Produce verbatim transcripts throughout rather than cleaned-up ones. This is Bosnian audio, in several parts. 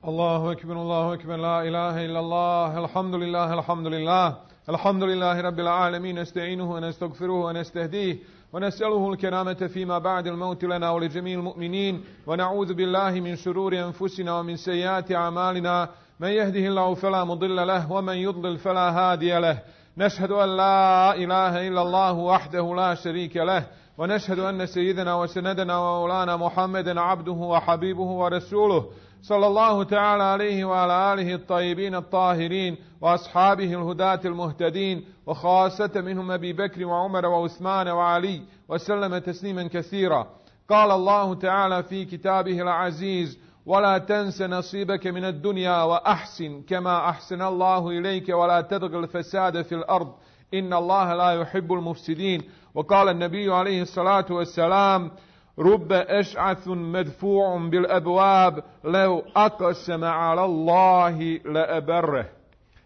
الله أكبر الله أكبر لا إله إلا الله الحمد لله الحمد لله الحمد لله رب العالمين نستعينه ونستغفره ونستهديه ونسأله الكرامة فيما بعد الموت لنا ولجميع المؤمنين ونعوذ بالله من شرور أنفسنا ومن سيئات أعمالنا من يهده الله فلا مضل له ومن يضلل فلا هادي له نشهد أن لا إله إلا الله وحده لا شريك له ونشهد أن سيدنا وسندنا ومولانا محمدا عبده وحبيبه ورسوله صلى الله تعالى عليه وعلى آله الطيبين الطاهرين وأصحابه الهداة المهتدين وخاصة منهم أبي بكر وعمر وعثمان وعلي وسلم تسليما كثيرا. قال الله تعالى في كتابه العزيز: ولا تنس نصيبك من الدنيا وأحسن كما أحسن الله إليك ولا تبغ الفساد في الأرض إن الله لا يحب المفسدين. وقال النبي عليه الصلاة والسلام: رب أشعث مدفوع بالأبواب لو أقسم على الله لأبره.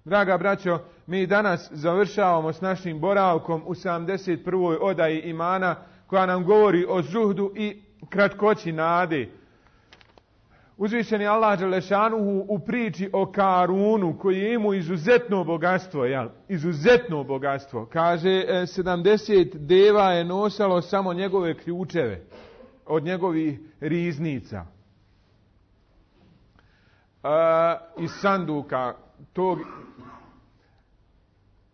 Draga braćo, mi danas završavamo s našim boravkom u sedamdeset prvoj odaji imana koja nam govori o zuhdu i kratkoći nade. Uzvišeni Allah dželešanuhu u priči o Karunu koji je imao izuzetno bogatstvo, jel? Izuzetno bogatstvo. Kaže, sedamdeset deva je nosalo samo njegove ključeve od njegovih riznica. E, iz sanduka tog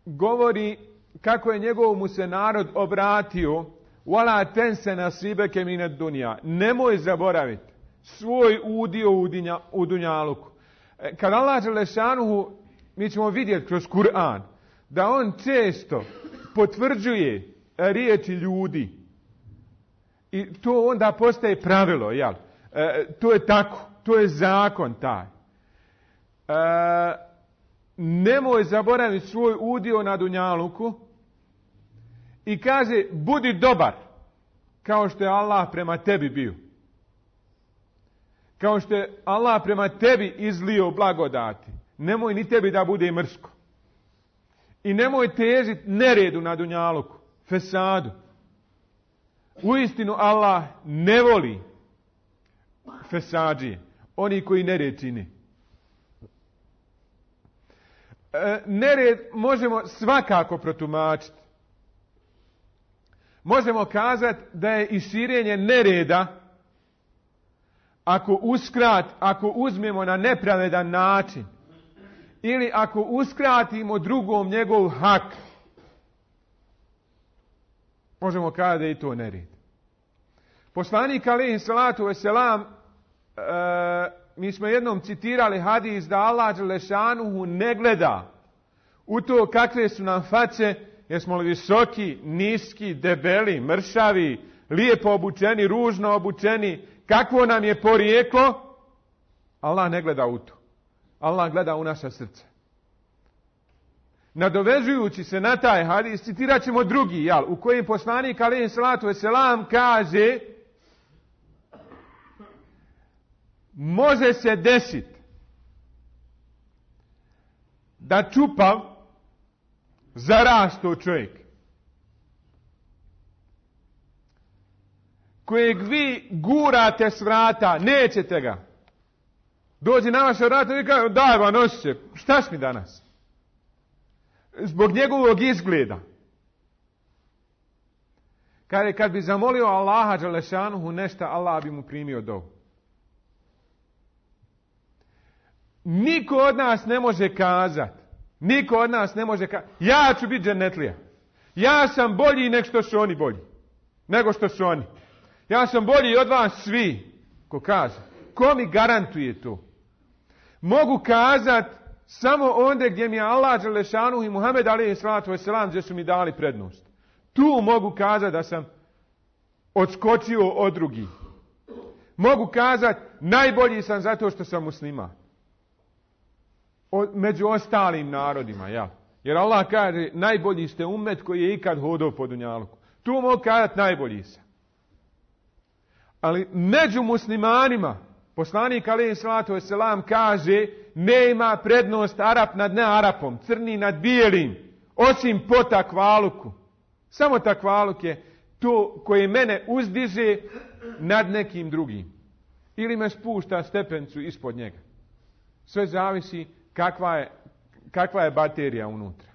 govori kako je njegov mu se narod obratio: Wala tense nasibeke mined dunja. Nemoj zaboraviti svoj udio u, dinja, u dunjaluku. E, kad Allah dželešanuhu, mi ćemo vidjeti kroz Kur'an, da on često potvrđuje riječi ljudi. I to onda postaje pravilo, jel? E, to je tako, to je zakon taj. E, nemoj zaboraviti svoj udio na dunjaluku i kaže, budi dobar kao što je Allah prema tebi bio. Kao što je Allah prema tebi izlio blagodati. Nemoj ni tebi da bude mrsko. I nemoj težiti neredu na dunjaluku, fesadu. Uistinu Allah ne voli fesadžije, oni koji nered čini. E, nered možemo svakako protumačiti. Možemo kazati da je i širenje nereda ako uskrat, ako uzmemo na nepravedan način ili ako uskratimo drugom njegov hak. Možemo kazati da je i to nered. Poslanik alejhi salatu vesselam, e, mi smo jednom citirali hadis da Allah dželešanuhu ne gleda u to kakve su nam face, jesmo li visoki, niski, debeli, mršavi, lijepo obučeni, ružno obučeni, kakvo nam je porijeklo. Allah ne gleda u to. Allah gleda u naša srca. Nadovezujući se na taj hadis, citirat ćemo drugi, jel, u kojem poslanik alejhi salatu vesselam kaže: može se desiti da čupav zarasto čovjek kojeg vi gurate s vrata, nećete ga. Dođe na vaše vrata i kaže: daj va, nosi se, šta si mi danas? Zbog njegovog izgleda. Kaže, kad bi zamolio Allaha dželešanuhu nešto, Allah bi mu primio dovu. Niko od nas ne može kazati, niko od nas ne može kazati, ja ću biti džennetlija. Ja sam bolji nego što su oni bolji. Nego što su oni. Ja sam bolji od vas svi. Ko kaže? Ko mi garantuje to? Mogu kazati samo onda gdje mi je Allah dželešanuhu i Muhammed alejhi salatu vesselam gdje su mi dali prednost. Tu mogu kazati da sam odskočio od drugih. Mogu kazati najbolji sam zato što sam musliman. O, među ostalim narodima, ja. Jer Allah kaže najbolji ste ummet koji je ikad hodao po dunjaluku. Tu mogu kazati najbolji sam. Ali među muslimanima poslanik alejhi salatu vesselam kaže nema prednost Arap nad nearapom, crni nad bijelim, osim po takvaluku. Samo takvaluk je to koje mene uzdiže nad nekim drugim. Ili me spušta stepencu ispod njega. Sve zavisi kakva je, kakva je baterija unutra.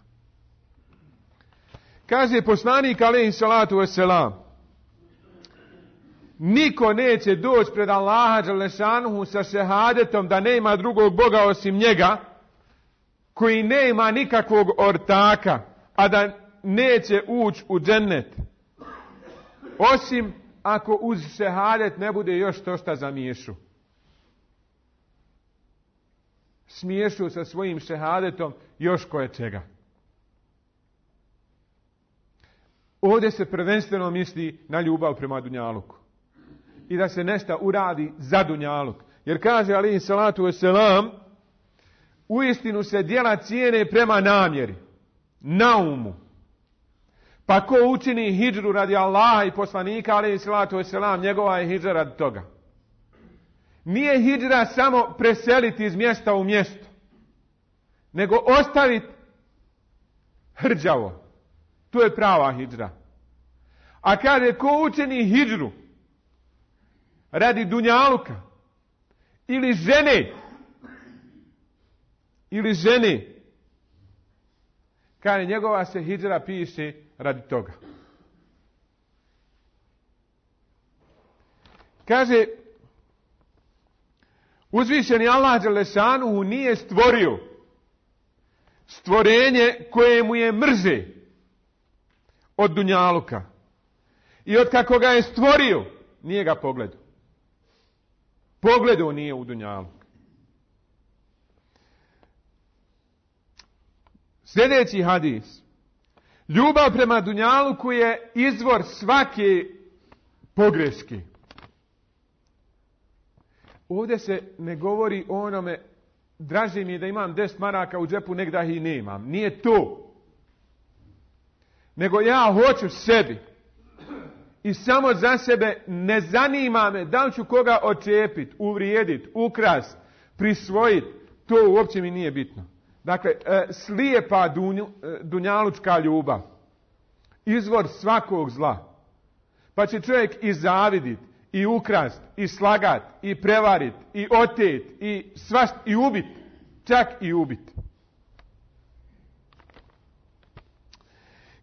Kaže poslanik alejhi salatu vesselam, niko neće doći pred Allaha dželešanuhu sa šehadetom da nema drugog Boga osim njega, koji nema nikakvog ortaka, a da neće ući u džennet. Osim ako uz šehadet ne bude još to šta zamiješu. Smiješu sa svojim šehadetom još koje čega. Ovdje se prvenstveno misli na ljubav prema dunjaluku. I da se nešto uradi za dunjaluk. Jer kaže alejhi salatu vesselam, uistinu se djela cijene prema namjeri, naumu. Pa ko učini hidžru radi Allaha i poslanika alejhi salatu vesselam, njegova je hidžra radi toga. Nije hidžra samo preseliti iz mjesta u mjesto, nego ostaviti hrđavo. To je prava hidžra. A kaže ko učini hidžru radi dunjaluka ili žene, ili žene, kaže njegova se hidžra piše radi toga. Kaže, uzvišeni Allah dželešanuhu nije stvorio stvorenje koje mu je mrže od dunjaluka. I od kako ga je stvorio, nije ga pogledao. Pogledao nije u dunjaluk. Sljedeći hadis. Ljubav prema dunjaluku je izvor svake pogreške. Ovdje se ne govori o onome, draže mi je da imam deset maraka u džepu, nek da ih nemam. Nije to. Nego ja hoću sebi. I samo za sebe ne zanima me da li ću koga očepiti, uvrijediti, ukrast, prisvojiti. To uopće mi nije bitno. Dakle, slijepa dunju, dunjalučka ljubav. Izvor svakog zla. Pa će čovjek i zavidit, i ukrast, i slagat, i prevarit, i otet, i svašt, i ubit. Čak i ubit.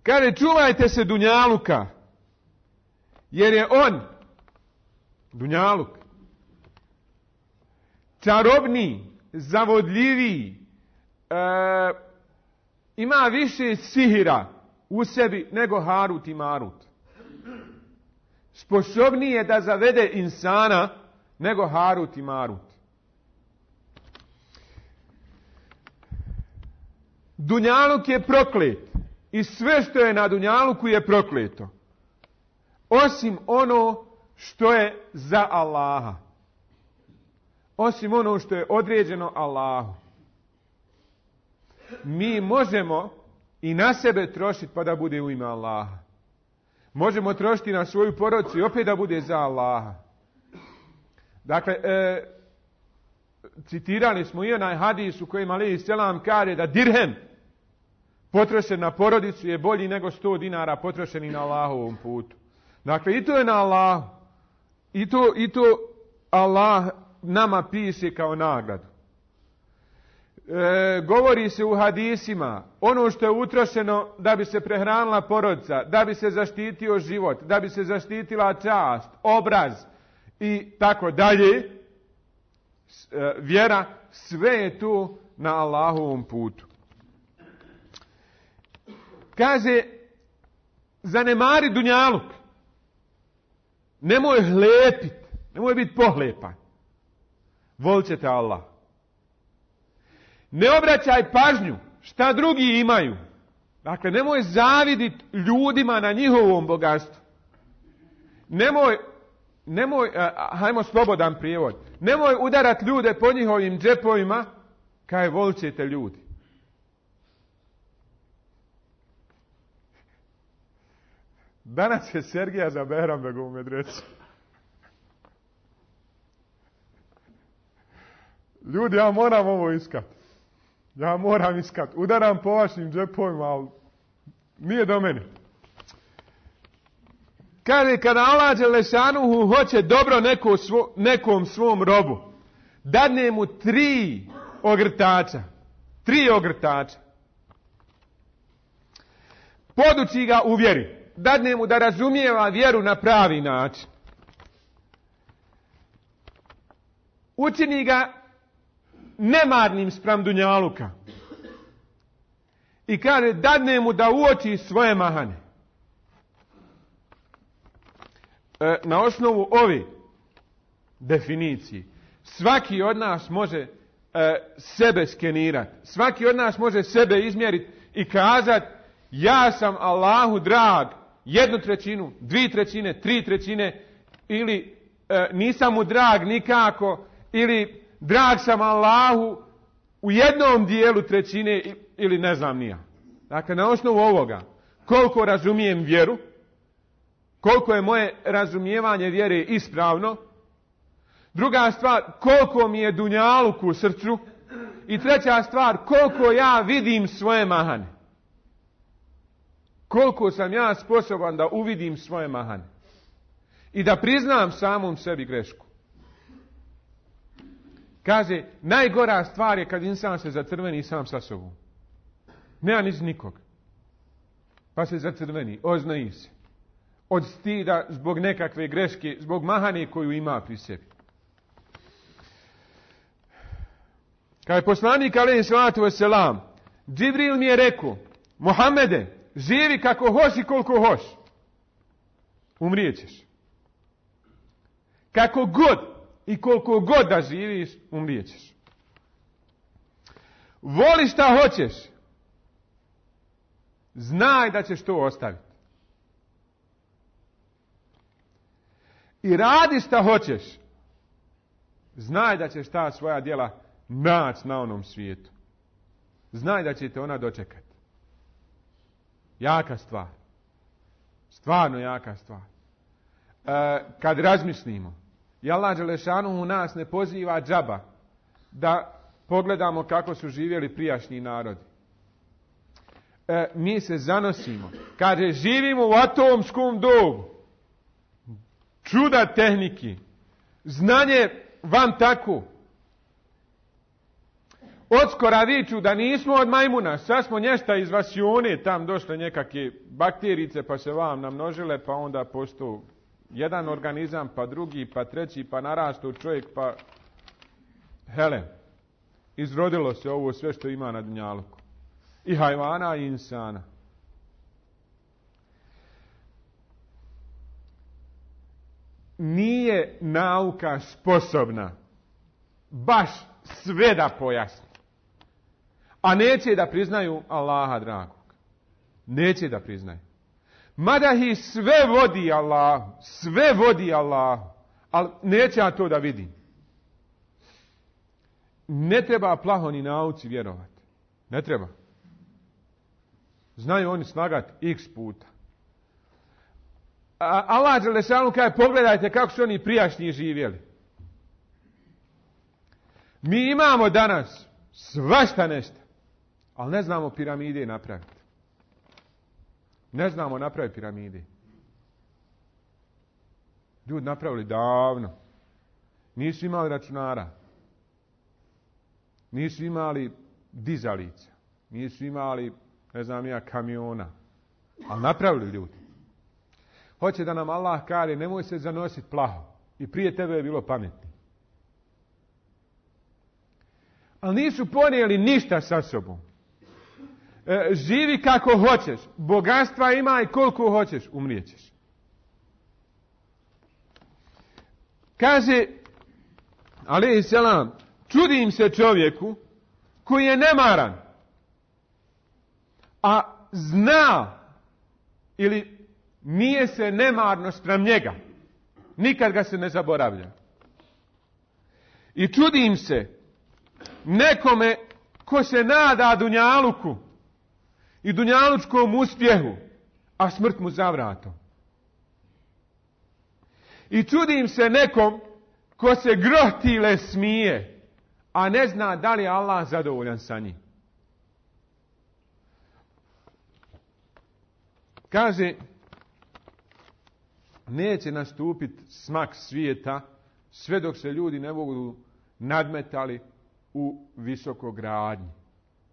Kaže, čuvajte se dunjaluka, jer je on, dunjaluk, čarobniji, zavodljiviji, e, ima više sihira u sebi nego Harut i Marut. Sposobniji je da zavede insana nego Harut i Marut. Dunjaluk je proklet i sve što je na dunjaluku je prokleto. Osim ono što je za Allaha. Osim ono što je određeno Allahu. Mi možemo i na sebe trošiti pa da bude u ime Allaha. Možemo trošiti na svoju porodicu i opet da bude za Allaha. Dakle, e, citirali smo i onaj hadis u kojem alejhi selam kaže da dirhem potrošen na porodicu je bolji nego sto dinara potrošeni na Allahovom putu. Dakle, i to je na Allahu. I to, i to Allah nama piše kao nagradu. E, govori se u hadisima, ono što je utrošeno da bi se prehranila porodica, da bi se zaštitio život, da bi se zaštitila čast, obraz i tako dalje, e, vjera, sve je tu na Allahovom putu. Kaže, zanemari dunjaluk. Nemoj hlepit, nemoj biti pohlepan. Volit ćete Allah. Ne obraćaj pažnju šta drugi imaju. Dakle, nemoj zaviditi ljudima na njihovom bogatstvu. Nemoj, nemoj, hajmo slobodan prijevod, nemoj udarati ljude po njihovim džepovima, kaj volit ćete ljudi. Danas je Sergija za Behrambegovu u medresu. Ljudi, ja moram ovo iskati. Ja moram iskati. Udaram po vašim džepovima, ali nije do mene. Kaže, kada Allah dželešanuhu hoće dobro neko svo, nekom svom robu, dadne mu tri ogrtača. Tri ogrtača. Poduči ga u vjeri. Dadne mu da razumijeva vjeru na pravi način. Učini ga nemarnim spram dunjaluka. I kaže, dadne mu da uoči svoje mahane. E, na osnovu ove definicije, svaki od nas može e, sebe skenirati. Svaki od nas može sebe izmjeriti i kazati, ja sam Allahu drag jednu trećinu, dvije trećine, tri trećine, ili e, nisam mu drag nikako, ili drag sam Allahu u jednom dijelu trećine, ili ne znam nija. Dakle, na osnovu ovoga, koliko razumijem vjeru, koliko je moje razumijevanje vjere ispravno, druga stvar, koliko mi je dunjaluk u srcu, i treća stvar, koliko ja vidim svoje mahane. Koliko sam ja sposoban da uvidim svoje mahane. I da priznam samom sebi grešku. Kaže, najgora stvar je kad insan se zacrveni sam sa sobom. Nema niz nikog. Pa se zacrveni, oznoji se. Od stida zbog nekakve greške, zbog mahane koju ima pri sebi. Kad je poslanik alejhi salatu vesselam, Džibril mi je rekao, Muhammede, živi kako hoš i koliko hoš. Umrijećeš. Kako god i koliko god da živiš, umrijećeš. Voli šta hoćeš. Znaj da ćeš to ostaviti. I radi šta hoćeš. Znaj da ćeš ta svoja djela naći na onom svijetu. Znaj da će te ona dočekati. Jaka stvar. Stvarno jaka stvar. E, kad razmislimo, i Allah dželešanu u nas ne poziva džaba da pogledamo kako su živjeli prijašnji narodi. E, mi se zanosimo. Kaže, živimo u atomskom dobu. Čuda tehniki. Znanje vam tako. Odskora viču da nismo od majmuna, sad smo nješta iz vasione, tam došle nekakve bakterice pa se vam namnožile, pa onda postao jedan organizam, pa drugi, pa treći, pa narastao čovjek, pa hele, izrodilo se ovo sve što ima na dunjaluku. I hajvana i insana. Nije nauka sposobna baš sve da pojasni. A neće da priznaju Allaha dragog. Neće da priznaju. Mada ih sve vodi Allahu. Sve vodi Allahu. Ali neće ja to da vidim. Ne treba plaho ni nauci vjerovati. Ne treba. Znaju oni snagati x puta. A Allah dželešanu kaže, pogledajte kako su oni prijašnji živjeli. Mi imamo danas svašta nešto. Ali ne znamo piramide napraviti. Ne znamo napraviti piramide. Ljudi napravili davno. Nisu imali računara. Nisu imali dizalica. Nisu imali, ne znam ja, kamiona. Ali napravili ljudi. Hoće da nam Allah kaže, nemoj se zanositi plaho. I prije tebe je bilo pametni. Ali nisu ponijeli ništa sa sobom. E, živi kako hoćeš. Bogatstva ima i koliko hoćeš. Umrijećeš. Kaže, alejhi selam, čudim se čovjeku koji je nemaran. A zna ili nije se nemarno spram njega. Nikad ga se ne zaboravlja. I čudim se nekome ko se nada dunjaluku i dunjalučkom uspjehu, a smrt mu za vratom. I čudim se nekom ko se grohtile smije, a ne zna da li je Allah zadovoljan sa njim. Kaže, neće nastupiti smak svijeta sve dok se ljudi ne budu nadmetali u visokogradnji.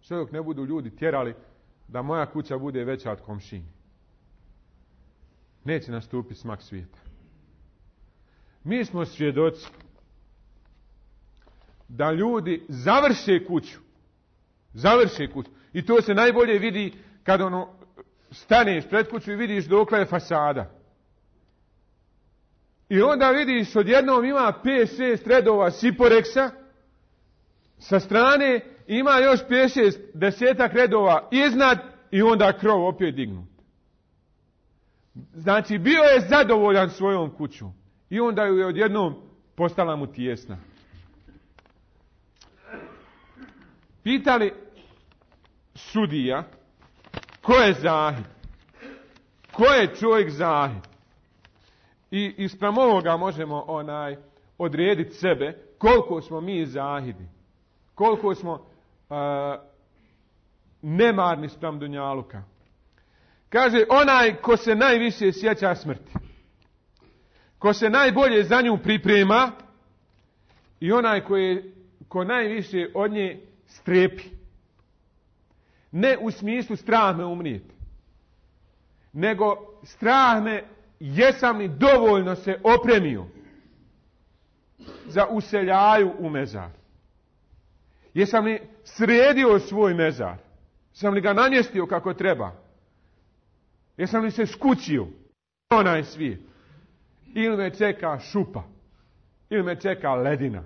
Sve dok ne budu ljudi tjerali da moja kuća bude veća od komšine. Neće nastupiti smak svijeta. Mi smo svjedoci da ljudi završe kuću. Završe kuću. I to se najbolje vidi kad ono staneš pred kuću i vidiš dokle je fasada. I onda vidiš odjednom ima pet šest redova siporeksa sa strane, ima još pet šest desetak redova iznad i onda krov opet dignut. Znači bio je zadovoljan svojom kućom i onda ju je odjednom postala mu tijesna. Pitali sudija ko je zahid? Ko je čovjek zahid? I ispram ovoga možemo onaj odrediti sebe koliko smo mi zahidi. Koliko smo uh, nemarni spram dunjaluka. Kaže onaj ko se najviše sjeća smrti. Ko se najbolje za nju priprema i onaj ko, je, ko najviše od nje strepi. Ne u smislu strah me umrijeti. Nego strah me jesam li dovoljno se opremio za useljaju u mezar. Jesam li sredio svoj mezar? Jesam li ga namjestio kako treba? Jesam li se skućio onaj svijet? Ili me čeka šupa? Ili me čeka ledina?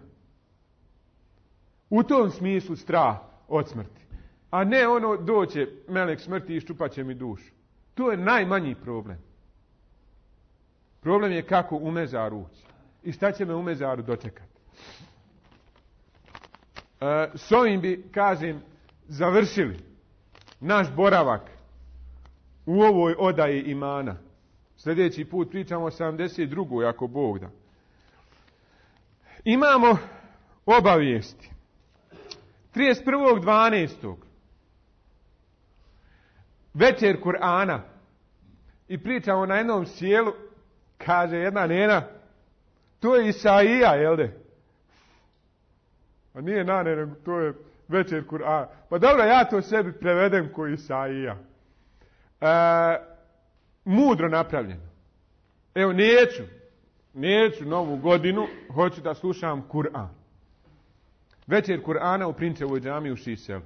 U tom smislu strah od smrti. A ne ono doće melek smrti i ščupat će mi dušu. To je najmanji problem. Problem je kako u mezar ući. I šta će me u mezaru dočekati. E, s ovim bi, kažem, završili naš boravak u ovoj odaji imana. Sljedeći put pričamo o sedamdeset drugoj ako Bog da. Imamo obavijesti. trideset prvog dvanaestog večer Kur'ana i pričamo na jednom sjelu, kaže jedna nena, to je Isaija, jel de? A nije nane, to je večer Kur'ana. Pa dobro, ja to sebi prevedem ko Isaija. E, mudro napravljeno. Evo, neću, neću novu godinu, hoću da slušam Kur'an. Večer Kur'ana u Prinčevoj džamiji u Šiselu.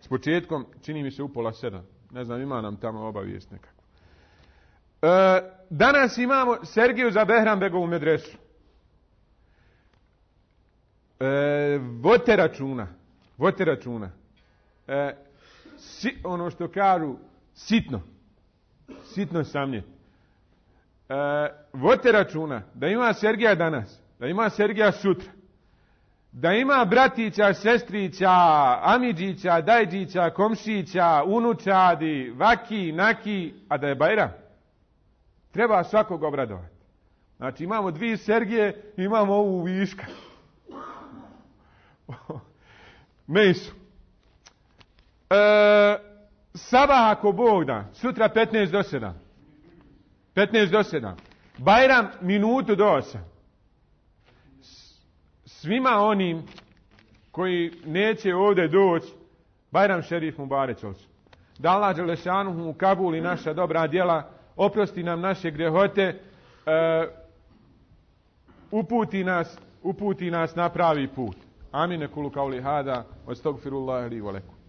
S početkom, čini mi se u pola sedam. Ne znam, ima nam tamo obavijest nekako. E, danas imamo Sergiju za Behrambegovu medresu. E, vodite računa. Vodite računa. E, si, ono što kažu, sitno. Sitno samnje. E, vodite računa da ima Sergija danas, da ima Sergija sutra. Da ima bratića, sestrića, amidžića, dajđića, komšića, unučadi, vaki, naki, a da je Bajram. Treba svakog obradovati. Znači imamo dvije Sergije, imamo ovu viška. Mejsu. E, sabah ako Bog da, sutra petnaest do sedam. petnaest do sedam. Bajram minutu do osam. Svima onim koji neće ovdje doći, Bajram šerif Mubarek olsun. Da Allah dželešanuhu u Kabuli naša dobra djela, oprosti nam naše grehote, e, uputi nas, uputi nas na pravi put. Amin, kulu kauli hada, astagfirullahi li wa lakum.